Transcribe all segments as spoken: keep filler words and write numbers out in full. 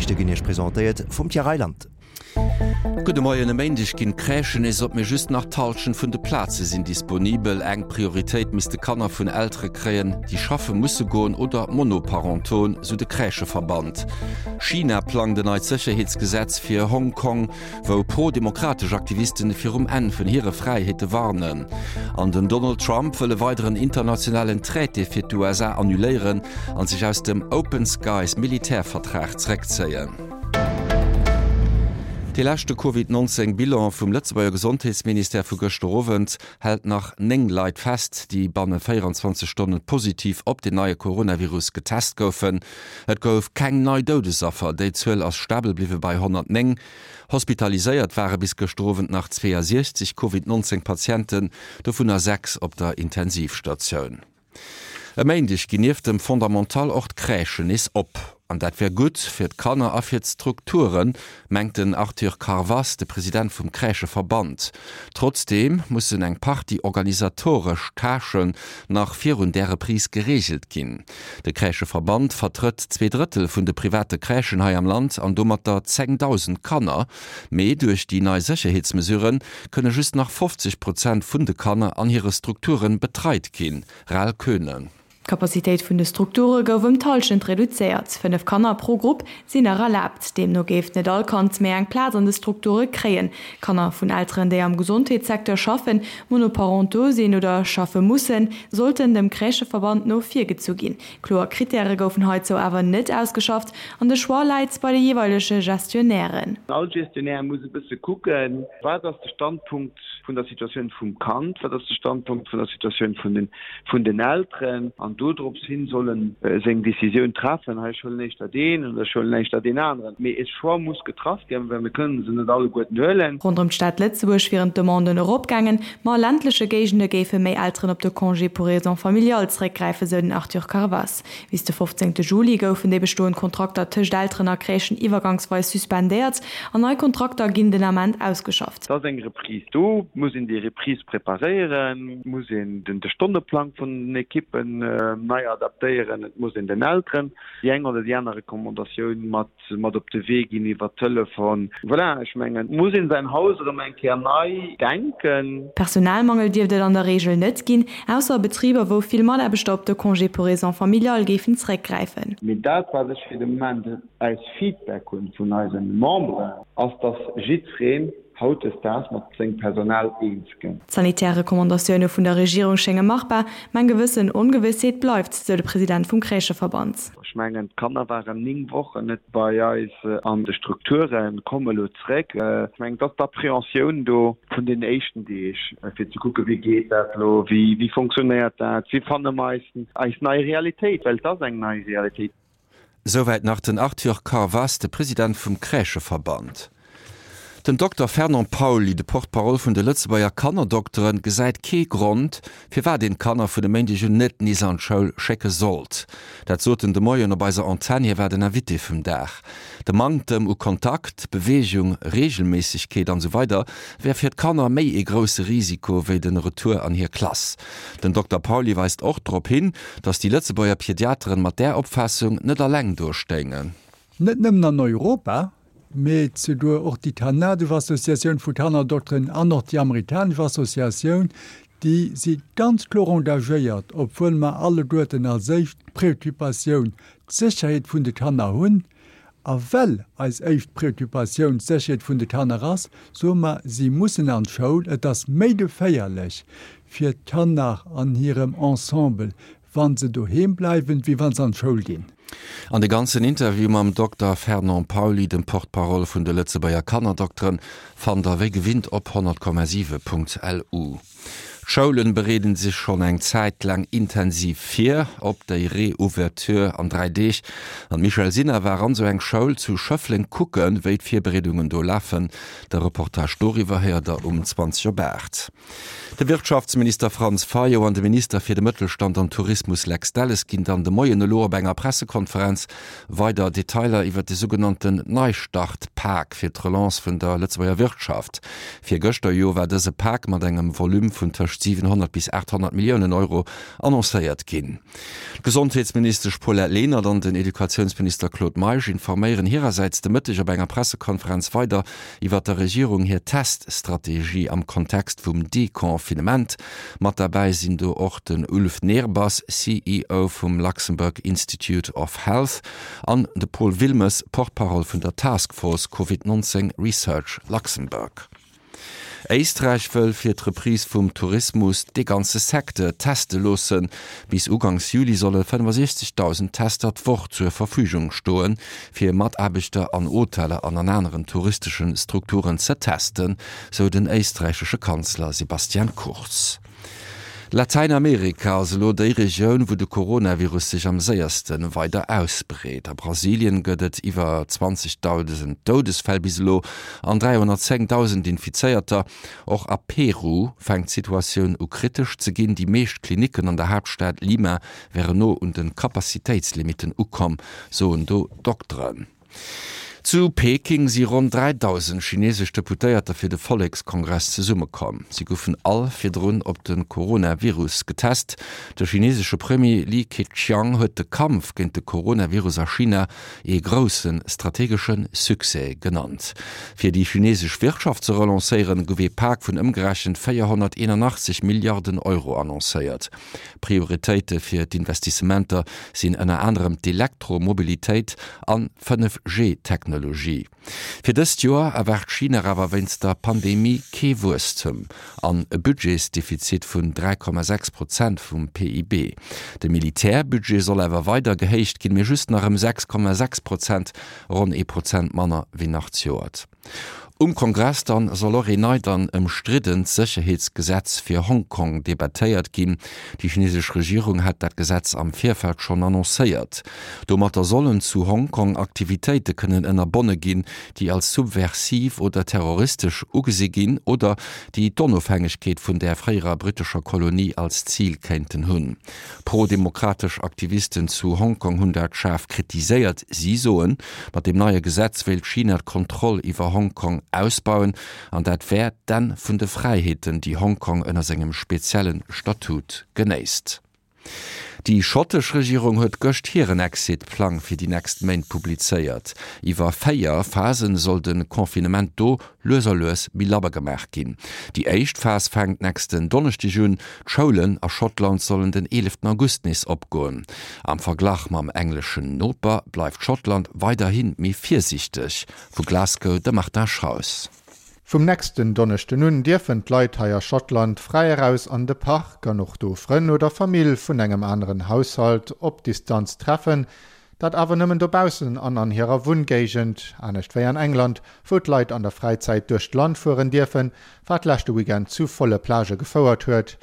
D'Noriichte ginn Iech presentéiert vum Pierre Reyland. Gudde Moien, E Méindeg ginn d'Crèchen nees op, mee just nach d'Hallschent vun de Plaze sinn disponibel. Eng Prioritéit misste Kanner vun Eltere kréien, déi schaffe musse goen oder monoparentoen, sou de Crècheverband. China plangt en neit Sécherheetsgesetz fir Hong Kong, wou pro-demokratesch Aktivisten virum Enn vun hire Fräiheete warnen. An den Donald Trump wëll e weideren internationalen Traité fir d'USA annuléieren an sech aus dem Open Skies Militärvertrag zeréckzéien. Dee leschte Covid nonzéng Bilan vum Lëtzebuerger Gesondheetsministère vu gëschter Owend hält nach néng Leit fest, déi banne véieranzwanzeg Stonne positiv op den neie Coronavirus getest goufen. Et gouf keng nei Doudesaffer, déi Zuel ass stabel bliwwe bei honnertnéng. Hospitaliséiert ware bis gëschter Owend nach zweeasiechzeg Covid nonzéng Patienten, dovunner sechs op der Intensivstatioun. E Méindeg ginn nieft dem Fondamental och d'Crèchen nees op. An dat wär gutt fir d'Kanner a fir d'Strukturen, mengt den Arthur Carvas, de President vum Crècheverband. Trotzdeem mussen eng Partie organisatoresch Tâchen nach virun där Reprise gereegelt ginn. De Crècheverband vertrëtt zwee Drëttel vun de private Crèchen hei am Land an domatter zéngdausend Kanner. Mee duerch déi nei Sécherheetsmesurë kënne just nach fofzeg Prozent vun de Kanner an hire Strukture betreit ginn. Raoul Koeune. D'Capacitéit vun de Strukture gouf ëm d'Hallschent reduzéiert. Fënnef Kanner pro Grupp sinn nach erlaabt. Deemno géif net all Kand méi eng Plaz an de Strukture kréien. Kanner vun Elteren, déi am Gesondheetssecteur schaffen, monoparentaux sinn oder schaffe mussen, sollten dem Crècheverband no virgezu ginn. Kloer Krittäre goufen heizou awer net ausgeschafft an de Choix läit bei de jeeweilege Gestionnairen. All Gestionnaire muss e bësse kucken, Wat ass de Standpunkt vun der Situatioun vum Kand, wat ass de Standpunkt vun der Situatioun vun den, vun den Elteren? An dodrops hin soll en seng Décisioun treffen, hei ech huelen éischter deen oder ech huelen éischter deen aneren. Mee e Choix muss getraff ginn, well mir kënnen se net alleguerten huelen. Ronderëm d'Stad Lëtzebuerg wieren d'Demanden eropgaangen, ma a ländleche Géigende géife méi Elteren op de Congé pour raisons familiales zeréckgräifen, sou den Arthur Carvas. Bis de fofzéngte Juli goufen déi bestoend Kontrakter tëscht Elteren a Crèchen iwwergangsweis suspendéiert an nei Kontrakter ginn den Ament ausgeschafft. Et ass eng Reprise do, et muss een déi Reprise preparéieren, et muss een de Stonneplang vun den Ekippen nei adaptéieren, et muss een den Elteren déi eng oder déi aner Recommandatioun mat mat op de Wee ginn iwwer Telefon. Voilà, ech mengen, et muss een säin Haus erëm eng Kéier nei denken. Personalmangel dierft et an der Reegel net ginn, ausser a Betriber, wou vill Mataarbechter op de Congé pour raisons familiales géifen zeréckgräifen. Mee dat, wat ech fir de Moment als Feedback hunn vun eise Memberen, ass, dass jiddwereen hautdesdaags mat sengem Personal eens gëtt. D'sanitär Recommandatioune vun der Regierung schénge machbar, mä eng gewëssen Ongewëssheet bleift, sou de President vum Crècheverband. Ech mengen, d'Kanner waren néng Wochen net bei eis an de Strukturen, komme elo zréck. Ech mengen, et ass d'Appréhensioun do vun den éischten Deeg, fir ze kucken, wéi geet dat elo, wéi fonctionnéiert dat, wéi fanne mer eis nei Realitéit, well et ass eng nei Realitéit. Souwäit nach den Arthur Carvas, de President vum Crècheverband. Den Dokter Fernand Pauly, de Porte-parole vun de Lëtzebuerger Kannerdokteren, gesäit kee Grond, firwat een d'Kanner vun e Méindeg un net nees an d'Schoul schécke sollt. Dat sot en de Moien op eiser Antenn, hie war den Invité vum Dag. De Manktem u Kontakt, Beweegung, Reegelméissegkeet an esou weider wär fir d'Kanner méi ee grousse Risiko wéi den Retour an hir Klass. Den Dokter Pauly weist och drop hin, datt déi Lëtzebuerger Pediateren mat där Opfaassung net alleng do stéingen. Net nëmmen an Europa, mee souguer och déi kanadesch Associatioun vu Kannerdokteren an och déi amerikanesch Associatioun, déi si ganz kloer engagéiert, obwuel mer alleguerten als éischt Préoccupatioun d'Sécherheet vun de Kanner hunn. A well eis éischt Préoccupatioun d'Sécherheet vun de Kanner ass, soe mer, si mussen an d'Schoul. Et ass méi geféierlech fir d'Kanner an hirem Ensemble, wa se doheem bleiwen, wéi wa se an d'Schoul ginn. An de ganzen Interview mam Dokter Fernand Pauly, dem Porte-parole vun de Lëtzebuerger Kannerdokteren, fannt der wéi gewinnt op honnert Komma siwe Punkt lu. D'Schoulen bereeden sech schonn eng Zäit laang intensiv vir op déi Reouverture an dräi Deeg. An d'Michèle Sinner war an esou eng Schoul zu Schëffleng kucken, wéi d'Virbereedungen do lafen. De Reportage doriwwer héiert der um zwanzeg op aacht. De Wirtschaftsminister Franz Fayot an de Minister fir de Mëttelstand an Tourismus Lex Delles ginn dann de Moien elo op enger Pressekonferenz weider Detailer iwwer de sougenannten Neistart-Pak fir d'Relance vun der Lëtzebuerger Wirtschaft. Virgëschter jo war dëse Pak mat engem Volume vun tëscht tëscht siwenhonnert bis aathonnert Milliounen Euro annoncéiert ginn. D'Gesondheetsministesch Paulette Lenert an den Educatiounsminister Claude Meisch informéieren hirersäits de Mëtteg op enger Pressekonferenz weider iwwer der Regierung hir Teststrategie am Kontext vum Deconfinement. Mat derbäi sinn do och den Ulf Nehrbass, C E O vum Luxembourg Institute of Health, an de Paul Wilmes, Porte-parole vun der Task Force Covid neunzehn Research Luxembourg. Éisträich wëll fir d'Reprise vum Tourismus de ganze Secteur teste loossen. Bis uganks Juli solle fënnefosiechzegdausend Tester d'Woch zur Verfügung stoen, fir Mataarbechter an Hoteller an an aneren touristesche Strukturen ze testen, sou den éisträichesche Kanzler Sebastian Kurz. Latäinamerika ass elo déi Regioun, wou de Coronavirus sech am séierste weider ausbreet. A Brasilien gëtt et iwwer zwanzegdausend Doudesfäll bis elo an dräihonnertzéngdausend Infizéierter. Och a Peru fänkt d'Situatioun u kritesch ze ginn. Déi meescht Klinicken an der Haaptstad Lima wären no un de Kapazitéitslimitten ukomm, soen do Dokteren. Zu Peking si ronn dräidausend chinesesch Deputéierter fir de Vollekskongress zesummekomm. Si goufen all virdrun op de Coronavirus getest. De chinesesche Premier Li Keqiang huet de Kampf géint de Coronavirus a China ee grousse strategesche Succès genannt. Fir déi chinesesch Wirtschaft ze relancéieren, gouf ee Pak vun ëmgerechent véierhonnerteenanachtzeg Milliarden Euro annoncéiert. Prioritéite fir d'Investissementer sinn ënner anerem d'Elektromobilitéit an fënnef G-Technologie. Fir dëst Joer erwaart China awer wéinst der Pandemie kee Wuesstem an e Budgetsdefizit vun dräi Komma sechs Prozent vum P I B. De Militärbudget soll awer weider gehéicht ginn, mee just nach ëm sechs Komma sechs Prozent, ronn ee Prozent manner wéi nach zejoert. Um Kongress dann soll och een neit an ëmstriddent Sécherheetsgesetz fir Hongkong debattéiert ginn. Déi chinesesch Regierung hat dat Gesetz am Virfeld schonn annoncéiert. Domatter sollen zu Hongkong Aktivitéite kënnen ënnerbonne ginn, déi als subversiv oder terroristesch ugesi ginn oder déi d'Onofhängegkeet vun der fréierer brittescher Kolonie als Zil kéinten hunn. Pro-demokratesch Aktivisten zu Hongkong hunn dat schaarf kritiséiert. Si soen, mat deem neie Gesetz wéilt China d'Kontroll iwwer Hongkong ausbauen an dat wär d'Enn vun de Fräiheeten, déi Hongkong ënner sengem spezielle Statut genéisst. Déi schottesch Regierung huet gëscht hiren Exit-Plang fir déi nächst Méint publizéiert. Iwwer véier Phasen soll de Confinement do lues a lues méi labber gemaach ginn. Déi éischt Phas fänkt nächsten Donneschdeg un, d'Schoulen a Schottland sollen den eeleften August nees opgoen. Am Verglach mam engleschen Noper bleift Schottland weiderhi méi virsiichteg. Vu Glasgow de Martin Schraus. Vum nächsten Donneschden un dierfen d'Leit hei a Schottland fräi eraus an de Park an och do Frënn oder Famill vun engem aneren Haushalt op Distanz treffen, dat awer nëmmen dobaussen an an hirer Wunngéigend, anescht wéi an England, wou d'Leit an der Fräizäit duerch d'Land fueren dierfen, wat leschte Weekend zu volle Plagë gefouert huet.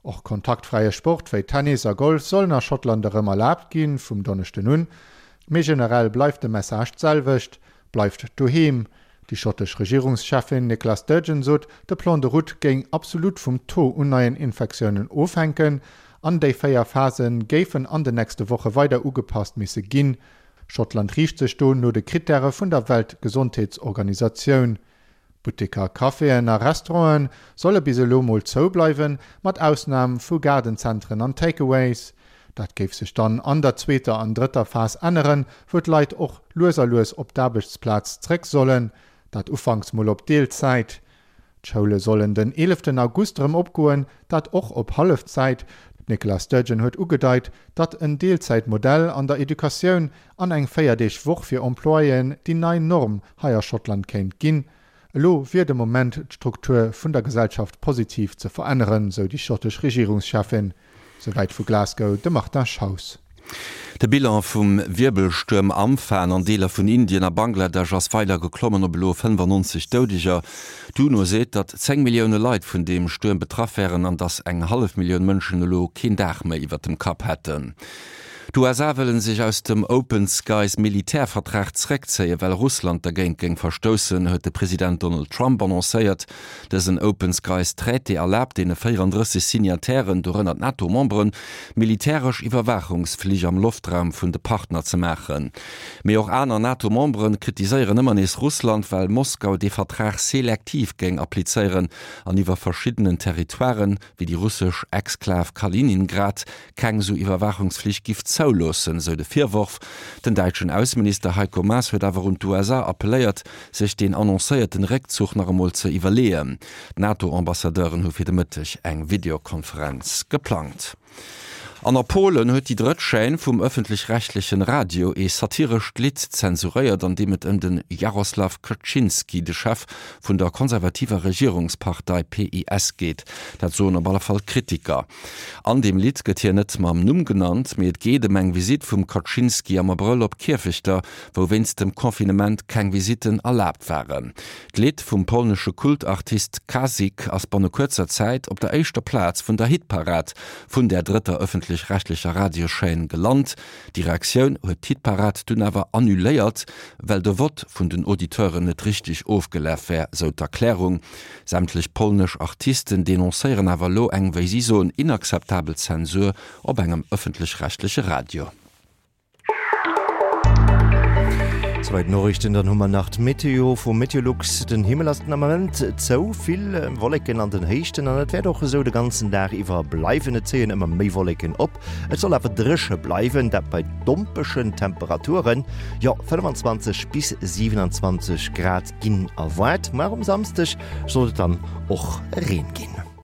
Och kontaktfräie Sport wéi Tennis a Golf sollen a Schottland erëm erlaabt ginn, vum Donneschden un. Mee generell bleift de Message d'selwecht, Bleift doheem! Déi schottesch Regierungscheffin Nicola Sturgeon sot, de Plan de route géing absolut vum Taux un neien Infektiounen ofhänken an déi véier Phase géifen an den nächste Woche weider ugepasst misse ginn. Schottland riicht sech do no de Krittäre vun der Weltgesondheetsorganisatioun. Butteker, Caféen a Restaurante solle bis elo mol zou bleiwen, mat Ausnam vu Gaardenzentren an Takeaways. Dat géif sech dann an der zweeter an drëtter Phas änneren, wou d'Leit och lues a lues op d'Aarbechtsplaz zréck sollen, dat ufanks mol op Deelzäit. D'Schoule sollen den eeleften August erëm opgoen, dat och op Hallefzäit. D'Nicola Sturgeon huet ugedeit, datt en Deelzäitmodell an der Educatioun an eng Véier-Deeg-Woch fir Employéen déi nei Norm hei a Schottland kéint ginn. Elo wier de Moment, d'Struktur vun der Gesellschaft positiv ze veränneren, sou déi schottesch Regierungscheffin. Souwäit vu Glasgow de Martin Schaus. De Bilan vum Wierbelstuerm Amphan an Deeler vun Indien a Bangladesch ass weider geklommen op elo fënnefannonzeg Doudeger. D'UNO seet, datt zéng Millioune Leit vun deem Stuerm betraff wären an datt eng hallef Millioun Mënschen elo keen Daach méi iwwer dem Kapp hätten. D'USA wëllen sech aus dem Open Skies Militärvertrag zréckzéien, well Russland dergéint géing verstoussen, huet de President Donald Trump annoncéiert. Dësen Open Skies Traité erlaabt deene véierandrësseg Signatairen, dorënner d'NATO-Memberen, militäresch Iwwerwaachungsflich am Loftraum vun de Partner ze maachen. Mee och aner NATO-Membere kritiséieren ëmmer nees Russland, well Moskau dee Vertrag selektiv géing applizéieren an iwwer verschiddenen Territoiren, wéi déi russesch Exklav Kaliningrad, keng esou Iwwerwaachungsflich giff zouloossen, sou de Virworf. Den däitschen Ausseminister Heiko Maas huet awer un d'USA appelléiert, sech deen annoncéierten Réckzuch nach emol ze iwwerleeën. D'NATO-Ambassadeuren hu fir de Mëtteg eng Videokonferenz geplangt. An a Polen huet déi drëtt Chaîne vum ëffentlech-rechtlechen Radio ee satirescht Lidd zensuréiert, an deem et ëm de Jarosław Kaczyński, de Chef vun der konservativer Regierungspartei PiS geet. Dat soen op alle Fall Kritiker. An deem Lidd gëtt hien net mam Numm genannt, mee et geet ëm eng Visitt vum Kaczyński am Abrëll op Kierfechter, wou wéinst dem Confinement keng Visitten erlaabt waren. D'Lidd vum polnesche Kultartist Kazik ass banne kuerzer Zäit op der éischter Plaz vun der Hitparad vun där drëtter ëffentlech-rechtlecher Radioschaîne gelant. Déi Reaktioun huet d'Hitparad dunn awer annuléiert, well de Vott vun den Auditeuren net richteg ofgelaf wär, sou d'Erklärung. Sämtlech polnesch Artisten denoncéieren awer elo eng, wéi si soen, inakzeptabel Zensur op engem ëffentlech-rechtleche Radio. Souwäit d'Noriichten, dann hu mer nach d'Meteo vu Meteolux. Den Himmel ass den Ament zou, vill Wolleken an den Héichten an et wäert och esou de ganzen Dag iwwer bleiwen. Et zéien ëmmer méi Wolleken op, et soll awer dréche bleiwen, dat bei dompeschen Temperaturen, jo fënnefenzwanzeg bis siwenanzwanzeg Grad ginn erwaart. Mar um Samsdeg soll et dann och Reen ginn.